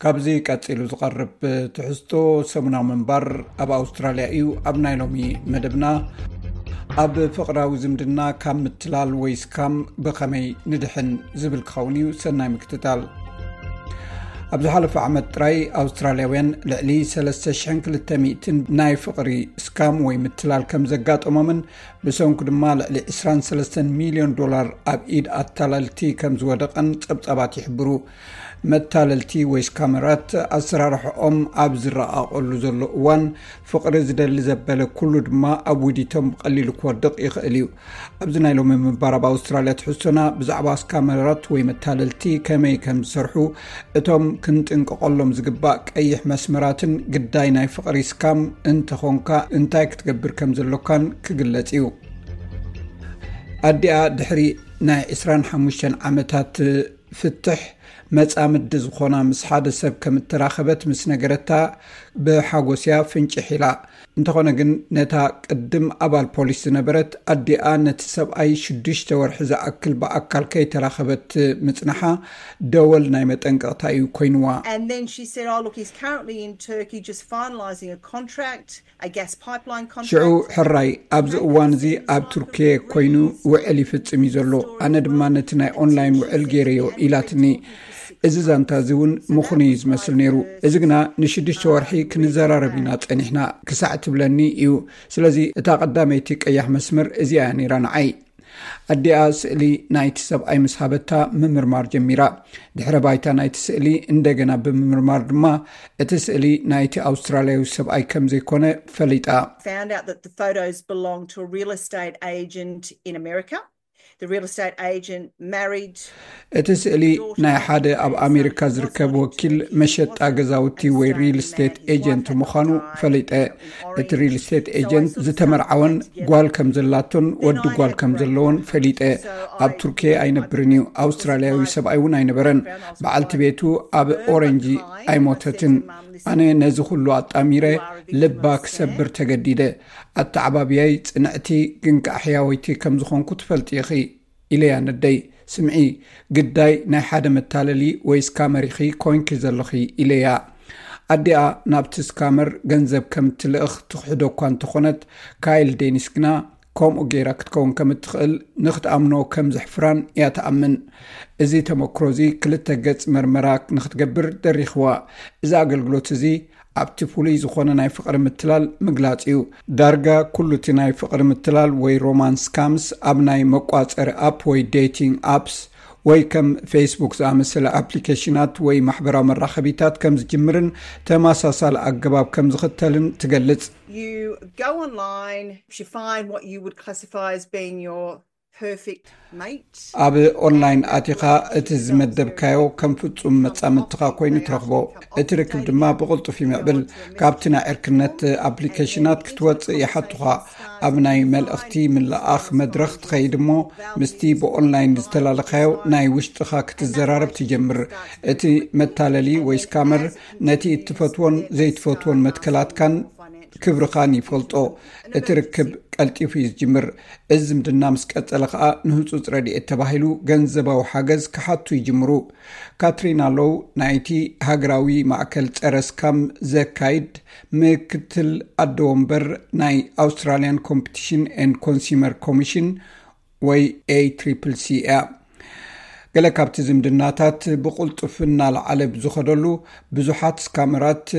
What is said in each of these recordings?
ካብዚ ቀጺሉ ዝቐርብ ትሕዝቶ ሰሙናዊ ምንባር ኣብ ኣውስትራልያ እዩ። ኣብ ናይ ሎሚ መደብና፣ ኣብ ፍቕራዊ ዝምድና ካብ ምትላል ወይ ስካም ብኸመይ ንድሕን ዝብል ክኸውን እዩ። ሰናይ ምክትታል። ኣብ ዝሓለፈ ዓመት ጥራይ ኣውስትራልያውያን ልዕሊ ሰለስተ ሽሕን ክልተ ሚእትን ናይ ፍቕሪ ስካም ወይ ምትላል ከም ዘጋጠሞምን ብሰንኩ ድማ ልዕሊ ዕስራን ሰለስተን ሚልዮን ዶላር ኣብ ኢድ ኣታለልቲ ከም ዝወደቐን ጸብጻባት ይሕብሩ። መታለልቲ ወይ ስካመራት ኣሰራርሕኦም ኣብ ዝረቓቐሉ ዘሎ እዋን፣ ፍቕሪ ዝደሊ ዘበለ ኩሉ ድማ ኣብ ውዲቶም ብቐሊሉ ክወድቕ ይኽእል እዩ። ኣብዚ ናይ ሎሚ ምንባር ኣብ ኣውስትራልያ ትሕዝቶና ብዛዕባ ስካመራት ወይ መታለልቲ ከመይ ከም ዝሰርሑ፣ እቶም ክንጥንቀቐሎም ዝግባእ ቀይሕ መስመራትን ግዳይ ናይ ፍቕሪ ስካም እንተኾንካ እንታይ ክትገብር ከም ዘሎካን ክግለጽ እዩ። ኣዲኣ ድሕሪ ናይ ዕስራን ሓሙሽተን ዓመታት ፍትሕ መጻምዲ ዝኾና ምስ ሓደ ሰብ ከም እተራኸበት ምስ ነገረታ ብሓጎስ እያ ፍንጭሕ ኢላ። እንተኾነ ግን ነታ ቅድም ኣባል ፖሊስ ዝነበረት ኣዲኣ ነቲ ሰብኣይ ሽዱሽተ ወርሒ ዝኣክል ብኣካል ከይተራኸበት ምጽንሓ ደወል ናይ መጠንቀቕታ እዩ ኮይንዋ። And then she said, "Oh, look, he's currently in Turkey just finalising a contract, a gas pipeline contract." ሽዑ ሕራይ ኣብዚ እዋን እዚ ኣብ ቱርኪየ ኮይኑ ውዕል ይፍጽም እዩ ዘሎ፣ ኣነ ድማ ነቲ ናይ ኦንላይን ውዕል ገይረዮ ኢላትኒ። እዚ ዛንታ እዚ እውን ምኹኑ እዩ ዝመስል ነይሩ። እዚ ግና ንሽዱሽተ ወርሒ ክንዘራረብ ኢና ጸኒሕና ክሳዕ ትብለኒ እዩ። ስለዚ እታ ቀዳመይቲ ቀያሕ መስመር እዚኣ እያ ነይራ ንዓይ። ኣዲኣ ስእሊ ናይቲ ሰብኣይ ምስ ሃበታ ምምርማር ጀሚራ። ድሕረ ባይታ ናይቲ ስእሊ እንደገና ብምምርማር ድማ እቲ ስእሊ ናይቲ ኣውስትራልያዊ ሰብኣይ ከም ዘይኮነ ፈሊጣ። Found out that the photos belonged to a real estate agent in America. The real estate agent married እቲ ስእሊ ናይ ሓደ ኣብ ኣሜሪካ ዝርከብ ወኪል መሸጣ ገዛውቲ ወይ ሪል ስቴት ኤጀንት ምዃኑ ፈሊጠ። እቲ ሪል ስቴት ኤጀንት ዝተመርዓወን ጓል ከም ዘላቶን ወዲ ጓል ከም ዘለዎን ፈሊጠ። ኣብ ቱርኪየ ኣይነብርን እዩ። ኣውስትራልያዊ ሰብኣይ እውን ኣይነበረን። በዓልቲ ቤቱ ኣብ ኦረንጂ ኣይሞተትን። ኣነ ነዚ ኩሉ ኣጣሚረ ልባ ክሰብር ተገዲደ። ኣተዓባብያይ ጽንዕቲ ግን ከኣ ሕያወይቲ ከም ዝኾንኩ ትፈልጢ ኢኺ ኢለያ ነደይ። ስምዒ፣ ግዳይ ናይ ሓደ መታለሊ ወይ ስካመር ኢኺ ኮይንኪ ዘለኺ ኢለያ። ኣዲኣ ናብቲ ስካመር ገንዘብ ከም እትልእኽ ትኽሕዶ እኳ እንተኾነት፣ ካይል ዴኒስ ግና ከምኡ ገይራ ክትከውን ከም እትኽእል ንኽትኣምኖ ከም ዘሕፍራን እያ ትኣምን። እዚ ተመክሮ እዚ ክልተ ገጽ መርመራ ንኽትገብር ደሪኽዋ። እዚ ኣገልግሎት እዚ ኣብቲ ፍሉይ ዝኾነ ናይ ፍቕሪ ምትላል ምግላጽ እዩ። ዳርጋ ኩሉ እቲ ናይ ፍቕሪ ምትላል ወይ ሮማንስ ስካምስ ኣብ ናይ መቋጸሪ ኣፕ ወይ ዴቲንግ ኣፕስ ወይ ከም ፌስቡክ ዝኣመሰለ ኣፕሊኬሽናት ወይ ማሕበራዊ መራኸቢታት ከም ዝጅምርን ተመሳሳሊ ኣገባብ ከም ዝኽተልን ትገልጽ። You go online, you find what you would classify as being your perfect mate. ኣብ ኦንላይን ኣቲኻ እቲ ዝመደብካዮ ከም ፍጹም መጻምድትኻ ኮይኑ ትረኽቦ። እቲ ርክብ ድማ ብቕልጡፍ ይምዕብል። ካብቲ ናይ ዕርክነት ኣፕሊኬሽናት ክትወጽእ ይሓቱኻ። ኣብ ናይ መልእኽቲ ምልኣኽ መድረኽ ትኸይድ እሞ ምስቲ ብኦንላይን ዝተላለኻዮ ናይ ውሽጥኻ ክትዘራረብ ትጀምር። እቲ መታለሊ ወይ ስካመር ነቲ እትፈትዎን ዘይትፈትዎን መትከላትካን ክብርኻን ይፈልጦ። እቲ ርክብ ቀልጢፉ እዩ ዝጅምር። እዚ ዝምድና ምስ ቀጸለ ኸኣ ንህጹጽ ረድኤት ተባሂሉ ገንዘባዊ ሓገዝ ክሓቱ ይጅምሩ። ካትሪና ሎው ናይቲ ሃገራዊ ማእከል ጸረ ስካም ዘካይድ ምክትል ኣደ ወንበር ናይ ኣውስትራልያን ኮምፒቲሽን ኤንድ ኮንሱመር ኮሚሽን ወይ ኤ ትሪፕል ሲ እያ። ገለ ካብቲ ዝምድናታት ብቕልጡፍ እናለዓለ ብዝኸደሉ፣ ብዙሓት ስካመራት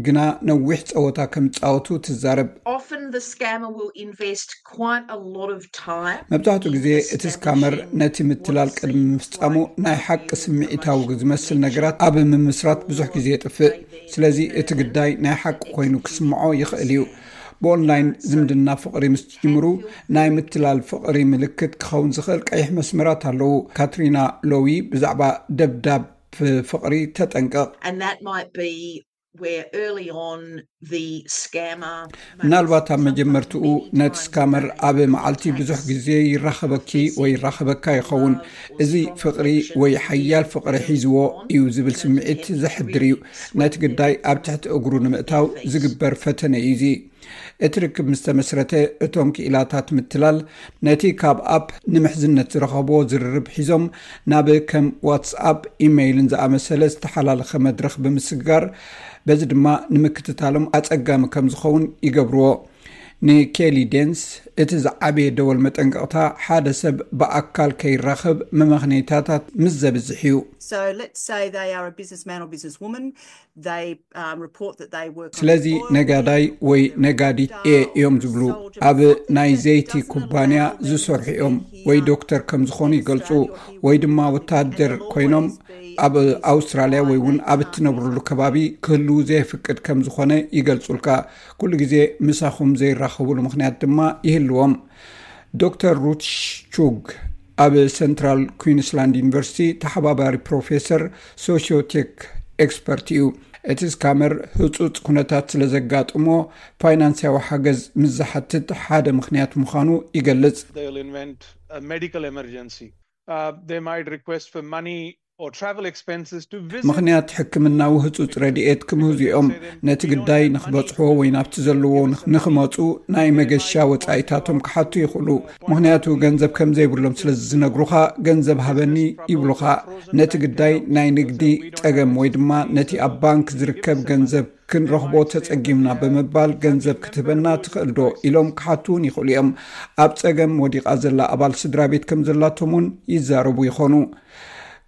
ግና ነዊሕ ጸወታ ከም ዝጻወቱ ትዛረብ። Often the scammer will invest quite a lot of time. መብዛሕትኡ ግዜ እቲ ስካመር ነቲ ምትላል ቅድሚ ምፍጻሙ ናይ ሓቂ ስምዒታዊ ዝመስል ነገራት ኣብ ምምስራት ብዙሕ ግዜ የጥፍእ። ስለዚ እቲ ግዳይ ናይ ሓቂ ኮይኑ ክስምዖ ይኽእል እዩ። ብኦንላይን ዝምድና ፍቕሪ ምስ ትጅምሩ ናይ ምትላል ፍቕሪ ምልክት ክኸውን ዝኽእል ቀይሕ መስመራት ኣለዉ። ካትሪና ሎዊ ብዛዕባ ደብዳብ ፍቕሪ ተጠንቀቕ። And that might be where early on the scammer. ምናልባት ኣብ መጀመርትኡ ነቲ ስካመር ኣብ መዓልቲ ብዙሕ ግዜ ይራኸበኪ ወይ ይራኸበካ ይኸውን። እዚ ፍቕሪ ወይ ሓያል ፍቕሪ ሒዝዎ እዩ ዝብል ስምዒት ዘሕድር እዩ። ነቲ ግዳይ ኣብ ትሕቲ እግሩ ንምእታው ዝግበር ፈተነ እዩ እዚ። እቲ ርክብ ምስ ተመስረተ፣ እቶም ክኢላታት ምትላል ነቲ ካብ ኣፕ ንምሕዝነት ዝረኸብዎ ዝርርብ ሒዞም ናብ ከም ዋትስኣፕ፣ ኢሜይልን ዝኣመሰለ ዝተሓላለኸ መድረኽ ብምስግጋር፣ በዚ ድማ ንምክትታሎም ኣጸጋሚ ከም ዝኸውን ይገብርዎ። ንኬሊ ዴንስ እቲ ዝዓበየ ደወል መጠንቀቕታ፣ ሓደ ሰብ ብኣካል ከይራኸብ መመኽነይታታት ምስ ዘብዝሕ እዩ። So let's say they are a businessman or businesswoman. They um, report that they work on ስለዚ oil. ነጋዳይ ወይ ነጋዲት እየ እዮም ዝብሉ፣ ኣብ ናይ ዘይቲ ኩባንያ ዝሰርሑ እዮም፣ ወይ ዶክተር ከም ዝኾኑ ይገልጹ፣ ወይ ድማ ወታደር ኮይኖም ኣብ ኣውስትራልያ ወይ እውን ኣብ እትነብርሉ ከባቢ ክህልዉ ዘየፍቅድ ከም ዝኾነ ይገልጹልካ። ኩሉ ግዜ ምሳኹም ዘይራኸብሉ ምኽንያት ድማ ይህልዎም። ዶክተር ሩት ቹግ ኣብ ሰንትራል ኩዊንስላንድ ዩኒቨርሲቲ ተሓባባሪ ፕሮፌሰር ሶሽዮቴክ ኤክስፐርት እዩ። እቲ ስካመር ህጹጽ ኩነታት ስለ ዘጋጥሞ፣ ፋይናንስያዊ ሓገዝ ምስ ዝሓትት ሓደ ምኽንያት ምዃኑ ይገልጽ። They'll invent a medical emergency. Uh, they might request for money or travel expenses to visit. ምኽንያት ሕክምናዊ ህጹጽ ረድኤት ክምህዙ እዮም። ነቲ ግዳይ ንኽበጽሕዎ ወይ ናብቲ ዘለዎ ንኽ- ንኽመጹ ናይ መገሻ ወጻኢታቶም ክሓቱ ይኽእሉ። ምኽንያቱ ገንዘብ ከም ዘይብሎም ስለ ዝነግሩኻ፣ ገንዘብ ሃበኒ ይብሉኻ። ነቲ ግዳይ ናይ ንግዲ ጸገም ወይ ድማ ነቲ ኣብ ባንክ ዝርከብ ገንዘብ ክንረኽቦ ተጸጊምና ብምባል ገንዘብ ክትህበና ትኽእል ዶ ኢሎም ክሓቱ እውን ይኽእሉ እዮም። ኣብ ጸገም ወዲቓ ዘላ ኣባል ስድራ ቤት ከም ዘላቶም እውን ይዛረቡ ይኾኑ።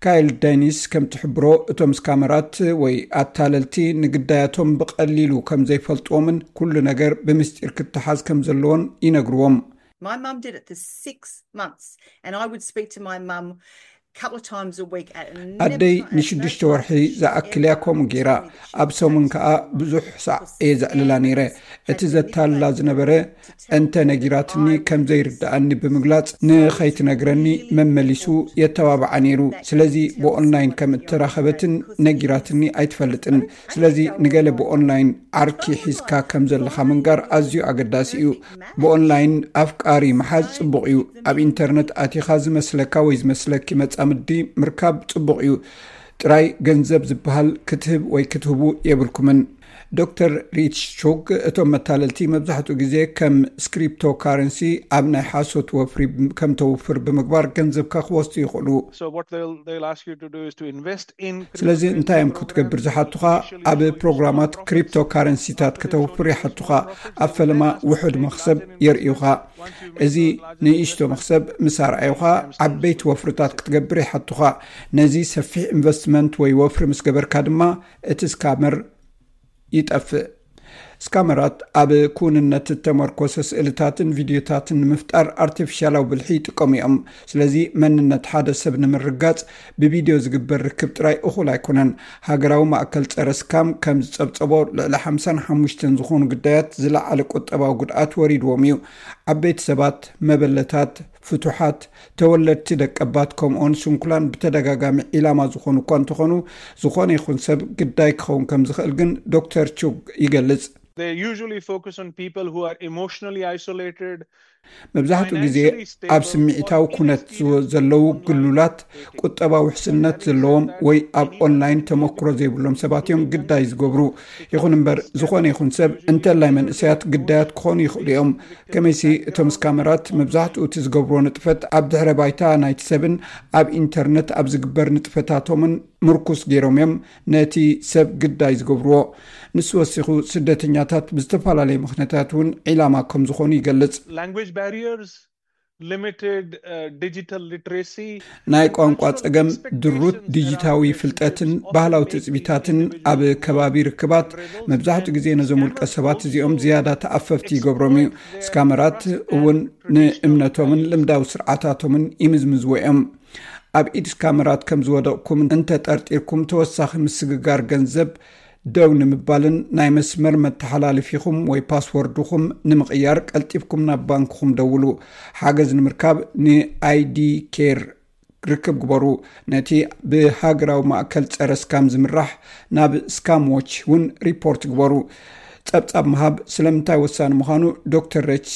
ካይል ዳይኒስ ከም ትሕብሮ፣ እቶም ስካመራት ወይ ኣታለልቲ ንግዳያቶም ብቐሊሉ ከም ዘይፈልጥዎምን ኩሉ ነገር ብምስጢር ክተሓዝ ከም ዘለዎን ይነግርዎም። My mum did it for six months, and I would speak to my mum a couple of times a week. At ኣደይ ንሽዱሽተ ወርሒ ዝኣክል እያ ከምኡ ገይራ። ኣብ ሰሙን ከኣ ብዙሕ ሳዕ እየ ዘዕልላ ነይረ። እቲ ዘታልላ ዝነበረ እንተ ነጊራትኒ ከም ዘይርድኣኒ ብምግላጽ ንኸይትነግረኒ መመሊሱ የተባብዓ ነይሩ። ስለዚ ብኦንላይን ከም እተራኸበትን ነጊራትኒ ኣይትፈልጥን። ስለዚ ንገለ ብኦንላይን ዓርኪ ሒዝካ ከም ዘለኻ ምንጋር ኣዝዩ ኣገዳሲ እዩ። ብኦንላይን ኣፍቃሪ ምሓዝ ጽቡቕ እዩ። ኣብ ኢንተርነት ኣቲኻ ዝመስለካ ወይ ዝመስለኪ መጻምዲ ምርካብ ጽቡቕ እዩ። ጥራይ ገንዘብ ዝበሃል ክትህብ ወይ ክትህቡ የብልኩምን። ዶክተር ሪች ቹግ፣ እቶም መታለልቲ መብዛሕትኡ ግዜ ከም ስክሪፕቶ ካረንሲ ኣብ ናይ ሓሶት ወፍሪ ከም ተውፍር ብምግባር ገንዘብካ ክወስዱ ይኽእሉ። So what they'll they'll ask you to do is to invest in. ስለዚ እንታይ እዮም ክትገብር ዝሓቱኻ? ኣብ ፕሮግራማት ክሪፕቶ ካረንሲታት ከተውፍር ይሓቱኻ። ኣብ ፈለማ ውሑድ መኽሰብ የርእዩኻ። እዚ ንእሽቶ መኽሰብ ምስ ኣርኣዩኻ፣ ዓበይቲ ወፍርታት ክትገብር ይሓቱኻ። ነዚ ሰፊሕ ኢንቨስትመንት ወይ ወፍሪ ምስ ገበርካ ድማ እቲ ስካመር ይጠፍእ። ስካመራት ኣብ ክውንነት እተመርኮሰ ስእልታትን ቪድዮታትን ንምፍጣር ኣርቲፊሻላዊ ብልሒ ይጥቀሙ እዮም። ስለዚ መንነት ሓደ ሰብ ንምርጋጽ ብቪድዮ ዝግበር ርክብ ጥራይ እኹል ኣይኮነን። ሃገራዊ ማእከል ጸረ ስካም ከም ዝጸብጸቦ፣ ልዕሊ ሓምሳን ሓሙሽተን ዝኾኑ ግዳያት ዝለዓለ ቁጠባዊ ጉድኣት ወሪድዎም እዩ። ዓበይቲ ሰባት፣ መበለታት፣ ፍቱሓት፣ ተወለድቲ ደቀባት ከምኡውን ስንኩላን ብተደጋጋሚ ዒላማ ዝኾኑ እኳ እንተኾኑ፣ ዝኾነ ይኹን ሰብ ግዳይ ክኸውን ከም ዝኽእል ግን ዶክተር ቹግ ይገልጽ። They usually focus on people who are emotionally isolated. መብዛሕትኡ ግዜ ኣብ ስምዒታዊ ኩነት ዝወ- ዘለዉ ግሉላት፣ ቁጠባዊ ውሕስነት ዘለዎም ወይ ኣብ ኦንላይን ተመክሮ ዘይብሎም ሰባት እዮም ግዳይ ዝገብሩ። ይኹን እምበር፣ ዝኾነ ይኹን ሰብ፣ እንተላይ መንእሰያት፣ ግዳያት ክኾኑ ይኽእሉ እዮም። ከመይሲ እቶም ስካመራት መብዛሕትኡ እቲ ዝገብርዎ ንጥፈት ኣብ ድሕረ ባይታ ናይቲ ሰብን ኣብ ኢንተርነት ኣብ ዝግበር ንጥፈታቶምን ምርኩስ ገይሮም እዮም ነቲ ሰብ ግዳይ ዝገብርዎ። ንሱ ወሲኹ፣ ስደተኛታት ብዝተፈላለየ ምኽንያታት እውን ዒላማ ከም ዝኾኑ ይገልጽ። Language barriers, limited uh, digital literacy. ናይ ቋንቋ ጸገም፣ ድሩት ዲጂታዊ ፍልጠትን ባህላዊ ትጽቢታትን ኣብ ከባቢ ርክባት መብዛሕትኡ ግዜ ነዞም ውልቀ ሰባት እዚኦም ዝያዳ ተኣፈፍቲ ይገብሮም እዩ። ስካመራት እውን ንእምነቶምን ልምዳዊ ስርዓታቶምን ይምዝምዝዎ እዮም። ኣብ ኢድ ስካመራት ከም ዝወደቕኩም እንተጠርጢርኩም፣ ተወሳኺ ምስግጋር ገንዘብ ደው ንምባልን ናይ መስመር መተሓላለፊኹም ወይ ፓስወርድኹም ንምቕያር ቀልጢፍኩም ናብ ባንክኹም ደውሉ። ሓገዝ ንምርካብ ንኣይዲ ኬር ርክብ ግበሩ። ነቲ ብሃገራዊ ማእከል ጸረ ስካም ዝምራሕ ናብ ስካም ዎች እውን ሪፖርት ግበሩ። ጸብጻብ ምሃብ ስለምንታይ ወሳኒ ምዃኑ ዶክተር ሬች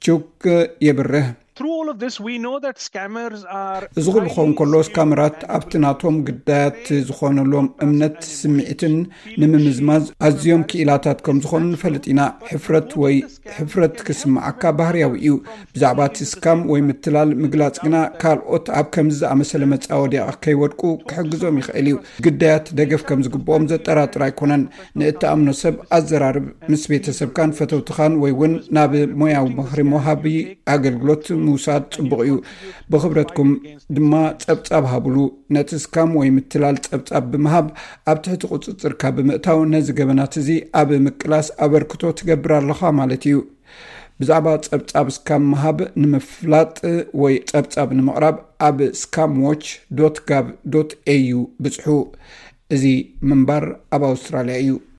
ቹክ የብርህ። Through all of this, we know that scammers are እዚ ኩሉ ክኸውን ከሎ፣ ስካመራት ኣብቲ ናቶም ግዳያት ዝኾነሎም እምነት፣ ስምዒትን ንምምዝማዝ ኣዝዮም ክኢላታት ከም ዝኾኑ ንፈልጥ ኢና። ሕፍረት ወይ ሕፍረት ክስምዓካ ባህርያዊ እዩ። ብዛዕባ እቲ ስካም ወይ ምትላል ምግላጽ ግና፣ ካልኦት ኣብ ከምዚ ዝኣመሰለ መጻወድያ ከይወድቁ ክሕግዞም ይኽእል እዩ። ግዳያት ደገፍ ከም ዝግብኦም ዘጠራጥር ኣይኮነን። ንእትኣምኖ ሰብ ኣዘራርብ። ምስ ቤተሰብካን ፈተውትኻን ወይ እውን ናብ ሞያዊ ምኽሪ መውሃቢ ኣገልግሎት ምውሳድ ጽቡቕ እዩ። ብኽብረትኩም ድማ ጸብጻብ ሃብሉ። ነቲ ስካም ወይ ምትላል ጸብጻብ ብምሃብ፣ ኣብ ትሕቲ ቁጽጽርካ ብምእታው፣ ነዚ ገበናት እዚ ኣብ ምቅላስ ኣበርክቶ ትገብር ኣለኻ ማለት እዩ። ብዛዕባ ጸብጻብ ስካም ምሃብ ንምፍላጥ ወይ ጸብጻብ ንምቕራብ፣ ኣብ scamwatch dot gov dot au ብጽሑ። እዚ ምንባር ኣብ ኣውስትራልያ እዩ።